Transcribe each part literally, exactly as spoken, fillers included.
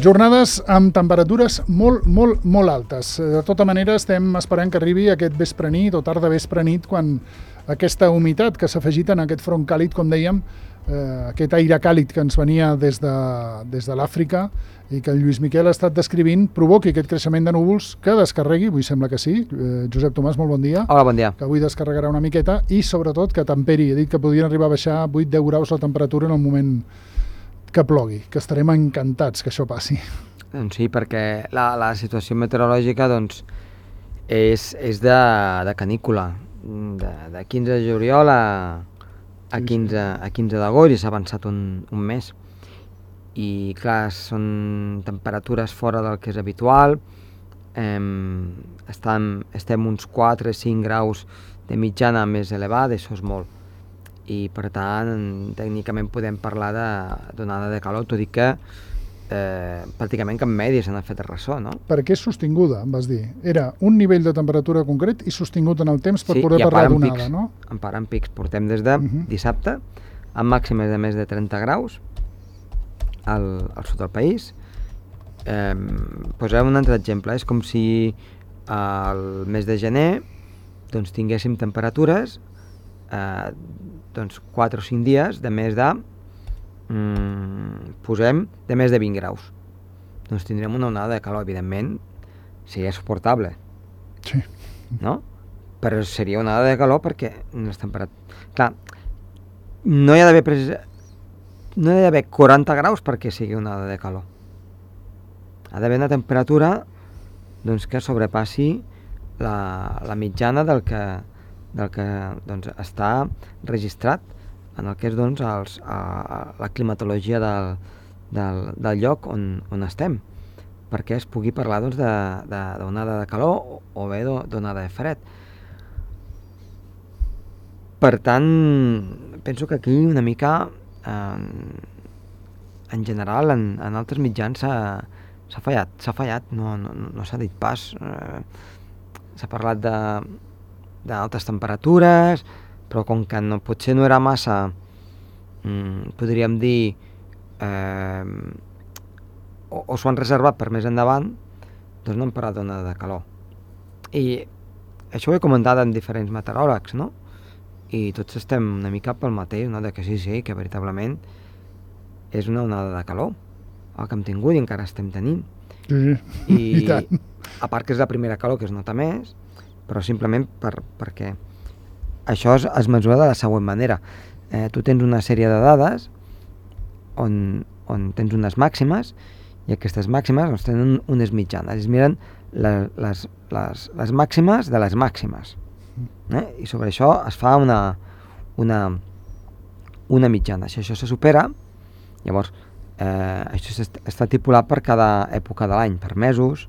Jornades amb temperatures molt, molt, molt altes. De tota manera, estem esperant que arribi aquest vespre nit o tarda vespre nit, quan aquesta humitat que s'ha afegit en aquest front càlid, com dèiem, eh, aquest aire càlid que ens venia des de, des de l'Àfrica i que el Lluís Miquel ha estat descrivint, provoqui aquest creixement de núvols que descarregui, avui sembla que sí. Eh, Josep Tomàs, molt bon dia. Hola, bon dia. Que avui descarregarà una miqueta i, sobretot, que temperi. He dit que podrien arribar a baixar vuit a deu graus la temperatura en el moment que plogui, que estarem encantats que això passi. Doncs sí, perquè la, la situació meteorològica doncs, és, és de, de canícula. De, de quinze de juliol a, a quinze, a quinze d'agost i s'ha avançat un, un mes. I clar, són temperatures fora del que és habitual. Eh, estem, estem uns quatre a cinc graus de mitjana més elevada, això és molt. I per tant, tècnicament podem parlar d'onada de calor, tot i que eh, pràcticament cap medi se n'ha fet ressò, no? Perquè és sostinguda, em vas dir. Era un nivell de temperatura concret i sostingut en el temps per sí, poder parlar d'onada, pics, no? En part en pics. Portem des de uh -huh. dissabte, amb màximes de més de trenta graus al, al sud del país. Eh, posarem un altre exemple. És com si al mes de gener doncs, tinguéssim temperatures eh, doncs quatre o cinc dies de més de mm, posem de més de vint graus. Doncs tindrem una onada de calor, evidentment seria suportable. Sí. No? Però seria una onada de calor perquè les temperatures... Clar, no hi ha d'haver pres... no hi ha d'haver quaranta graus perquè sigui una onada de calor. Ha d'haver una temperatura doncs, que sobrepassi la, la mitjana del que del que doncs, està registrat en el que és doncs, els, a, a, la climatologia del, del, del lloc on, on estem, perquè es pugui parlar doncs, d'onada de, de, de calor o, o bé d'onada de fred. Per tant, penso que aquí una mica en, en general en, en altres mitjans s'ha fallat, s'ha fallat, no, no, no s'ha dit pas. Eh, s'ha parlat de d'altes temperatures, però com que no, potser no era massa, mm, podríem dir, eh, o, o s'ho han reservat per més endavant, doncs no hem parlat d'onada de calor. I això ho he comentat amb diferents meteoròlegs, no? I tots estem una mica pel mateix, no? De que sí, sí, que veritablement és una onada de calor, el que hem tingut i encara estem tenint. Sí, I, i tant. A part que és la primera calor que es nota més, però simplement per, perquè això es, es mesura de la següent manera. Eh, tu tens una sèrie de dades on, on tens unes màximes i aquestes màximes doncs, tenen unes mitjanes. Es miren les, les, les, les màximes de les màximes. Eh? I sobre això es fa una, una, una mitjana. Si això se supera, llavors eh, això està estipulat per cada època de l'any, per mesos.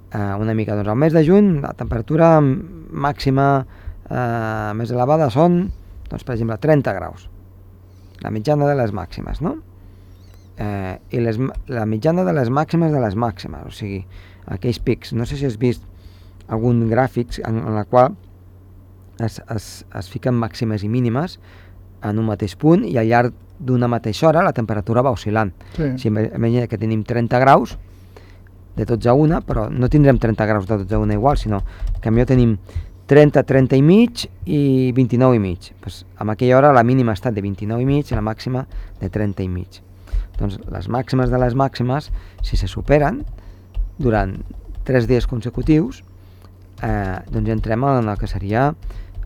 Uh, una mica, doncs al mes de juny la temperatura màxima uh, més elevada són, doncs per exemple, trenta graus, la mitjana de les màximes, no? Uh, i les, la mitjana de les màximes de les màximes, o sigui, aquells pics. No sé si has vist algun gràfic en, en la qual es, es, es fiquen màximes i mínimes en un mateix punt i al llarg d'una mateixa hora la temperatura va oscil·lant. Sí. Si imagina que tenim trenta graus de dotze a una, però no tindrem trenta graus de dotze a una igual, sinó que a millor tenim trenta, trenta i mig i vint-i-nou i mig. Pues, en aquella hora la mínima ha estat de vint-i-nou i mig i la màxima de trenta i mig. Doncs les màximes de les màximes, si se superen durant tres dies consecutius, eh, doncs entrem en el que seria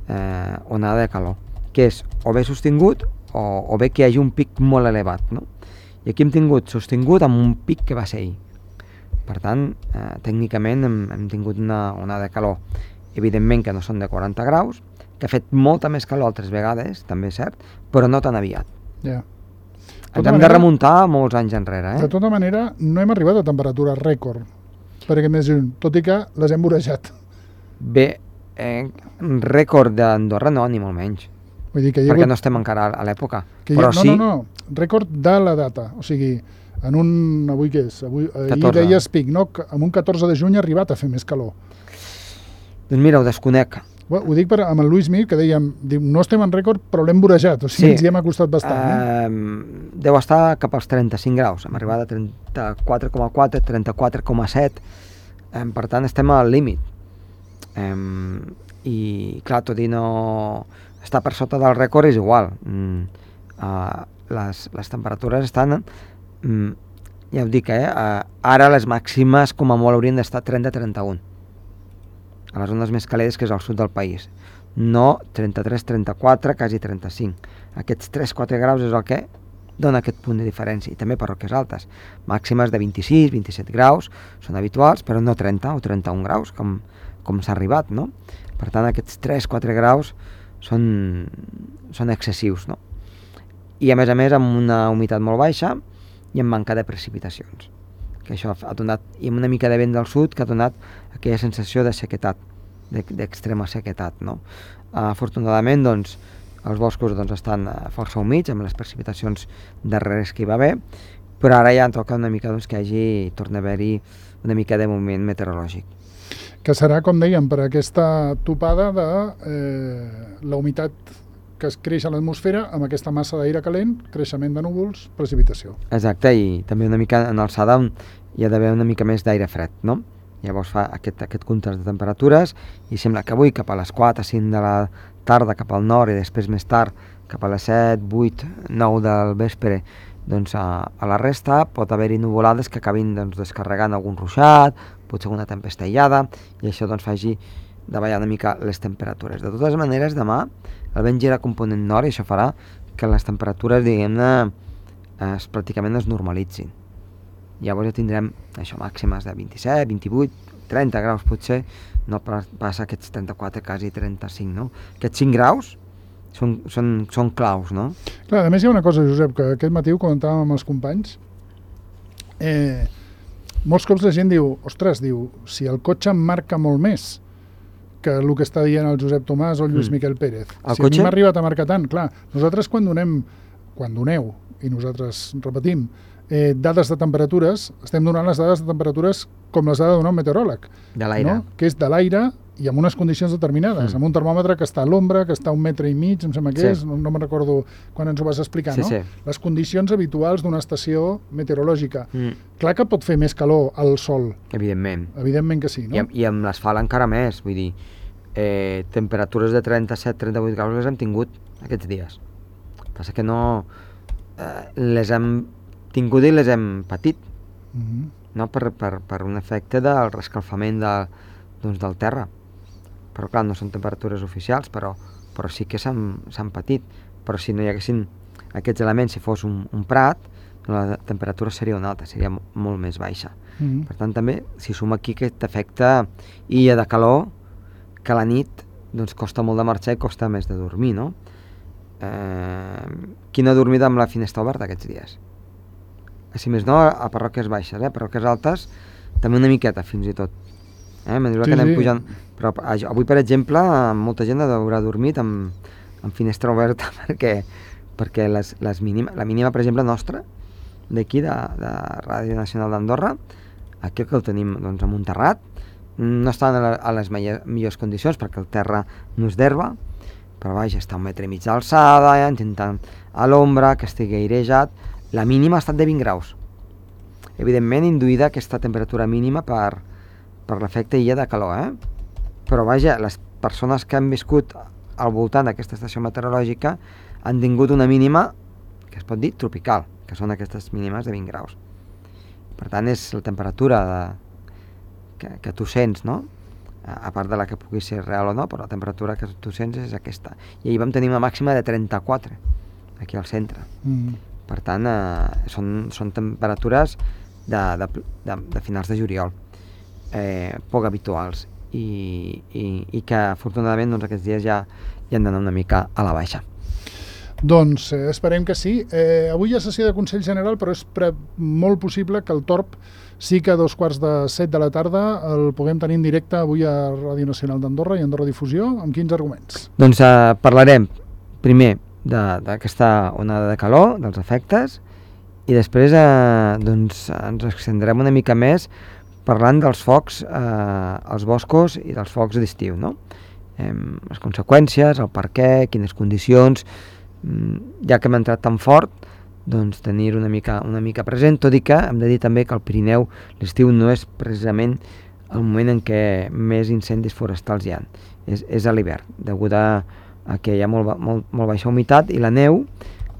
eh, onada de calor, que és o bé sostingut o, o bé que hi hagi un pic molt elevat, no? I aquí hem tingut sostingut amb un pic que va ser ahir. Per tant, eh, tècnicament hem, hem tingut una onada de calor, evidentment que no són de quaranta graus, que ha fet molta més calor altres vegades, també és cert, però no tan aviat. Ja. Ens hem manera, de remuntar molts anys enrere. Eh? De tota manera, no hem arribat a temperatures rècord per aquest mes de juny, tot i que les hem vorejat. Bé, eh, rècord d'Andorra no, ni molt menys. Vull dir que hi ha perquè hagut... no estem encara a l'època. Però ha... no, sí... no, no, rècord de la data, o sigui... En un, avui què és? Avui, ahir deies pic, no? En un catorze de juny ha arribat a fer més calor. Doncs mira, ho desconec. Ho, ho dic per, amb el Luis Mir, que dèiem, diu, no estem en rècord, però l'hem vorejat, o sigui, Sí. ens hi hem acostat bastant. Eh, Eh? deu estar cap als trenta-cinc graus, hem arribat a trenta-quatre coma quatre, trenta-quatre coma set, eh, per tant estem al límit. Eh, I clar, tot i no estar per sota del rècord és igual. Mm, eh, les, les temperatures estan, mm, ja ho dic, eh, eh, ara les màximes com a molt haurien d'estar trenta a trenta-un. A les zones més càlides, que és al sud del país. No trenta-tres trenta-quatre, quasi trenta-cinc. Aquests tres quatre graus és el que dona aquest punt de diferència, i també per roques altes. Màximes de vint-i-sis vint-i-set graus són habituals, però no trenta o trenta-un graus, com, com s'ha arribat, no? Per tant, aquests tres quatre graus són, són excessius, no? I a més a més amb una humitat molt baixa i amb manca de precipitacions, que això ha donat, i amb una mica de vent del sud, que ha donat aquella sensació de sequetat, d'extrema sequetat, no? Afortunadament, doncs, els boscos doncs, estan força humits, amb les precipitacions darreres que hi va haver, però ara ja toca una mica doncs, que hagi, torna a haver-hi una mica de moviment meteorològic. Que serà, com dèiem, per aquesta topada de eh, la humitat que es creix a l'atmosfera amb aquesta massa d'aire calent, creixement de núvols, precipitació. Exacte, i també una mica en alçada on hi ha d'haver una mica més d'aire fred, no? Llavors fa aquest, aquest contrast de temperatures i sembla que avui cap a les quatre cinc de la tarda cap al nord i després més tard cap a les set vuit nou del vespre doncs a, a la resta pot haver-hi nuvolades que acabin doncs, descarregant algun ruixat, potser una tempesta aïllada, i això doncs faci davallar una mica les temperatures. De totes maneres, demà el vent gira component nord i això farà que les temperatures, diguem-ne, es, pràcticament es normalitzin. Llavors ja tindrem això, màximes de vint-i-set, vint-i-vuit, trenta graus potser, no passa aquests trenta-quatre, quasi trenta-cinc, no? Aquests cinc graus són, són, són claus, no? Clar, a més hi ha una cosa, Josep, que aquest matí ho comentàvem amb els companys. Eh, molts cops la gent diu, ostres, diu, si el cotxe em marca molt més que el que està dient el Josep Tomàs o el Lluís mm. Miquel Pérez. El si cotxe? a mi m'ha arribat a marcar tant, clar, nosaltres quan donem, quan doneu, i nosaltres repetim, eh, dades de temperatures, estem donant les dades de temperatures com les ha de donar un meteoròleg. De l'aire. No? Que és de l'aire i amb unes condicions determinades, mm. amb un termòmetre que està a l'ombra, que està a un metre i mig, em sembla que sí. és, no, no me'n recordo quan ens ho vas explicar, sí, no? Sí. Les condicions habituals d'una estació meteorològica. Mm. Clar que pot fer més calor al sol. Evidentment. Evidentment que sí, no? I, i amb l'asfalt encara més, vull dir, eh, temperatures de trenta-set trenta-vuit graus les hem tingut aquests dies. Passa que no... Eh, les hem tingut i les hem patit, Mm-hmm. no? per, per, per un efecte del rescalfament de, doncs, del terra. Però clar, no són temperatures oficials, però, però sí que s'han patit. Però si no hi haguessin aquests elements, si fos un, un prat, la temperatura seria una altra, seria molt més baixa. Mm-hmm. Per tant, també, si suma aquí aquest efecte illa de calor, que a la nit doncs, costa molt de marxar i costa més de dormir, no? Eh, qui no ha dormit amb la finestra oberta aquests dies? Si més no, a parròquies baixes, eh? Parròquies altes, també una miqueta, fins i tot. Eh? A mesura Sí, que anem sí. pujant... Però avui, per exemple, molta gent haurà dormit amb, amb finestra oberta perquè, perquè les, les mínima, la mínima, per exemple, nostra, d'aquí, de, de Ràdio Nacional d'Andorra, aquí que el tenim doncs, a Montserrat, no estan a, la, a les millors condicions perquè el terra no és d'herba, però vaja, està un metre i mig d'alçada, ja, intentant a l'ombra, que estigui airejat. La mínima ha estat de vint graus. Evidentment, induïda aquesta temperatura mínima per, per l'efecte illa de calor, eh? Però vaja, les persones que han viscut al voltant d'aquesta estació meteorològica han tingut una mínima, que es pot dir tropical, que són aquestes mínimes de vint graus. Per tant, és la temperatura de, que, que tu sents, no? A part de la que pugui ser real o no, però la temperatura que tu sents és aquesta. I ahir vam tenir una màxima de trenta-quatre, aquí al centre. Mm. Per tant, eh, són, són temperatures de, de, de, de finals de juliol, eh, poc habituals, i, i, i que afortunadament doncs, aquests dies ja, ja han d'anar una mica a la baixa. Doncs eh, esperem que sí. Eh, avui hi ha sessió de Consell General, però és pre molt possible que el Torb sí que a dos quarts de set de la tarda el puguem tenir en directe avui a Ràdio Nacional d'Andorra i Andorra Difusió. Amb quins arguments? Doncs eh, parlarem primer d'aquesta onada de calor, dels efectes, i després eh, doncs, ens extendrem una mica més parlant dels focs eh, als boscos i dels focs d'estiu, no? eh, les conseqüències, el per què, quines condicions, ja que hem entrat tan fort, doncs tenir una mica, una mica present, tot i que hem de dir també que al Pirineu l'estiu no és precisament el moment en què més incendis forestals hi ha, és, és a l'hivern, degut a, a que hi ha molt, molt, molt baixa humitat i la neu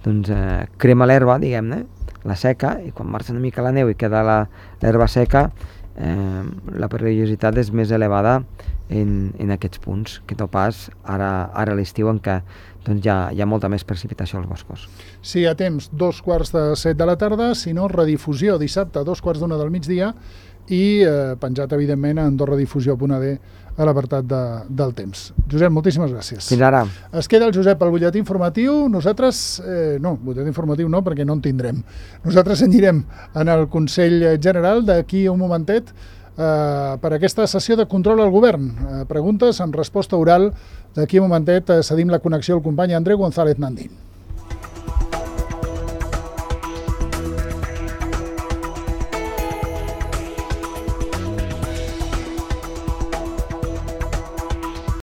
doncs, eh, crema l'herba, diguem-ne, la seca, i quan marxa una mica la neu i queda l'herba seca, eh, la perillositat és més elevada en, en aquests punts, que no pas ara, ara a l'estiu en què doncs, hi, ha, hi ha molta més precipitació als boscos. Si hi ha temps, dos quarts de set de la tarda, si no, redifusió dissabte, dos quarts d'una del migdia, i eh, penjat, evidentment, a andorradifusió punt a d a l'apartat de, del temps. Josep, moltíssimes gràcies. Fins ara. Es queda el Josep al butlletí informatiu. Nosaltres, eh, no, butlletí informatiu no, perquè no en tindrem. Nosaltres anirem en el Consell General d'aquí un momentet eh, per aquesta sessió de control al govern. Eh, preguntes amb resposta oral. D'aquí un momentet eh, cedim la connexió al company Andreu González Nandín.